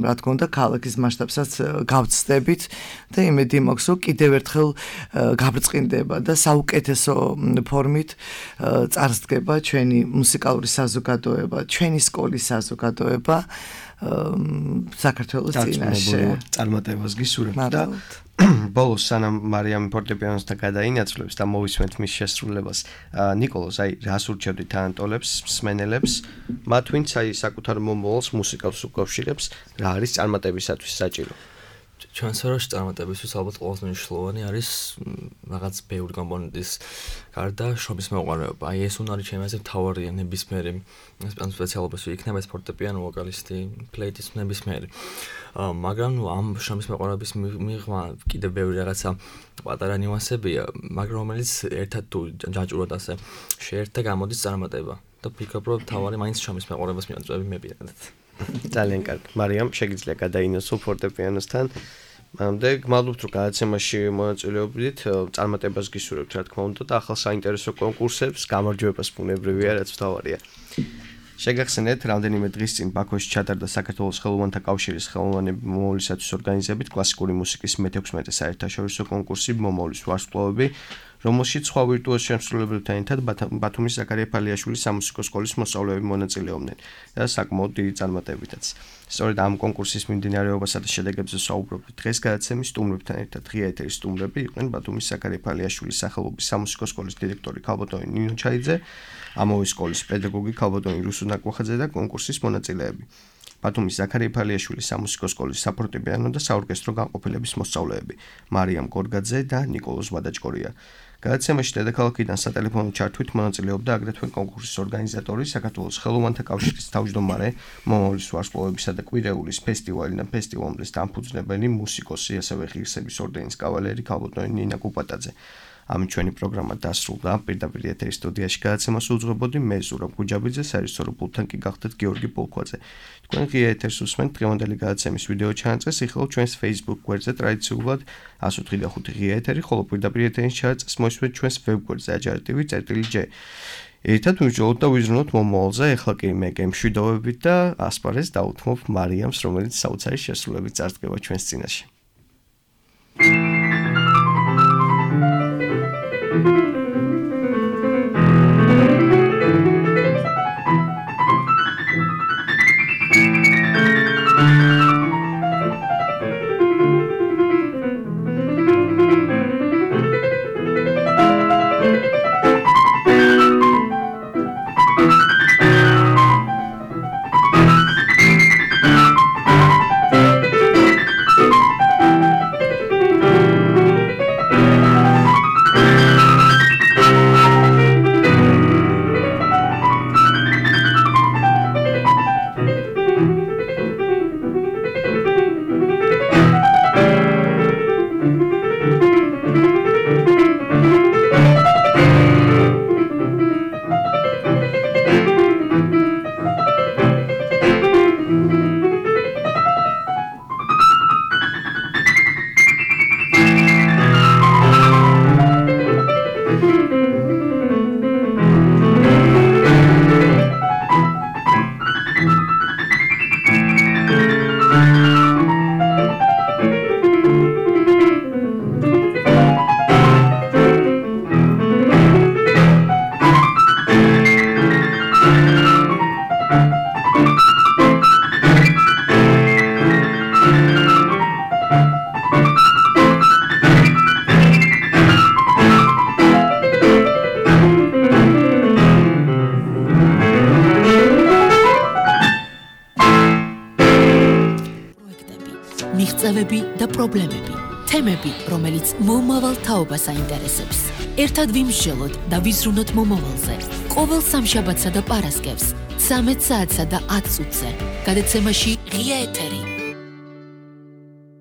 რა თქმა უნდა ქალაქის მასშტაბსაც გავწდებით და იმედი მაქვს რომ კიდევ ერთხელ გაბრწყინდება და საუკეთესო ფორმით წარსდგება ჩვენი მუსიკალური საზოგადოება, ჩვენი სკოლის საზოგადოება საქართველოს წინაშე. წარმატებას გისურვებთ და ბოლოს სანამ მარიამი ფორტეპიანოსთან გადაინაცვლებს და მოვისმენთ მის შესრულებას, ნიკოლოზ, აი რას ურჩევდი თანატოლებს, მსმენელებს, მათ ვინც აი საკუთარ მომავალს მუსიკას უკავშირებს, რა არის წარმატებისათვის საჭირო? ჩვენ სფეროში წარმატებისთვის ალბათ ყველაზე მნიშვნელოვანი არის რაღაც ბევრი კომპონენტის გარდა შრომის მეუღარეობა. აი ეს უნარი ჩემი აზრით მთავარია ნებისმიერი სპეციალობას იქნება ეს ფორტეპიანო, ვოკალისტი, ფლეიტის ნებისმიერი. მაგრამ ამ შრომის მეუღარეობის მიღმა კიდევ ბევრი რაღაცა პატარა ნიუანსებია, მაგრამ რომელიც ერთად თუ ჯაჭვურად ასე შეერთდა გამოდის წარმატება და ვფიქრობ რომ მთავარი მაინც შრომის მეუღარეობის მიაწვევი მე პირადად. ძალიან კარგი. მარიამ, შეგიძლია გადაინაცვლო ფორტეპიანოსთან. მამდე გმადლობთ რომ გადაცემაში მონაწილეობდით, წარმატებას გისურვებთ რა თქმა უნდა და ახალ საინტერესო კონკურსებს, გამარჯვებას ბუნებრივია, რაც მთავარია. შეგახსენეთ, რამდენიმე დღის წინ ბაქოში ჩატარდა საქართველოს ხელოვანთა კავშირის ხელოვანები მომავლისათვის ორგანიზებით კლასიკური მუსიკის მეთექვსმეტე საერთაშორისო კონკურსი მომავლის ვარსკვლავები, რომელშიც სხვა ვირტუოზ შემსრულებლებთან ერთად ბათუმის ზაქარია ფალიაშვილის სამუსიკო სკოლის მოსწავლეები მონაწილეობდნენ და საკმაოდ დიდი წარმატებითაც. სწორედ ამ კონკურსის მიმდინარეობასა და შედეგებზე საუბრობთ დღეს გადაცემის სტუმრებთან ერთად. ღია ეთერის სტუმრები იყვნენ ბათუმის ზაქარია ფალიაშვილის სახელობის სამუსიკო სკოლის დირექტორი ქალბატონი ნინო ჩაიძე, ამავე სკოლის პედაგოგი ქალბატონი რუსუ ნაკვახაძე და კონკურსის მონაწილეები. ბათუმის ზაქარია ფალიაშვილის სამუსიკო სკოლის საფორტეპიანო და საორკესტრო განყოფილების მოსწავლეები მარიამ გორგაძე და ნიკოლოზ ვადაჭკორია. გადაცემაში დედაქალაქიდან სატელეფონო ჩართვით მონაწილეობდა აგრეთვე კონკურსის ორგანიზატორი, საქართველოს ხელოვანთა კავშირის თავმჯდომარე, მომავლის ვარსკვლავებისა და კვირეულის ფესტივალი და ფესტივალის დამფუძნებელი მუსიკოსი, ასევე ღირსების ორდენის კავალერი ქალბატონი ნინა კუპატაძე. ამით ჩვენი პროგრამა დასრულდა. პირდაპირ ეთერის სტუდიაში გადაცემას უძღვებოდი მე ზურაბ გუჯაბიძე, საერთაშორისო პულტთან კი გახდათ გიორგი პოლქვაძე. თქვენ ღია ეთერს უსმენთ დღევანდელი გადაცემის ვიდეო ჩანაწეს, იხილავ ჩვენს Facebook გვერდზე ტრადიციულად one oh three ხუთი ღია ეთერი, ხოლო პირდაპირ ეთერის ჩანაწეს მოისმენთ ჩვენს ვებგვერდზე ajar.tv/j. ერთად მივიჯოლოთ და ვიზრუნოთ მომავალზე, ეხლა კი მე გემშვიდობებით და ასპარეზს დაუთმობ მარიამს, რომელიც საოცარი შესრულებით წარდგება ჩვენს წინაშე. მიღწევები და პრობლემები, თემები, რომელიც მომავალ თაობას აინტერესებს. ერთად ვიმსჯელოთ და ვიზრუნოთ მომავალზე. ყოველ სამშაბათსა და პარასკევს, ცამეტ საათსა და ათ წუთზე. გადაცემაში ღია ეთერი.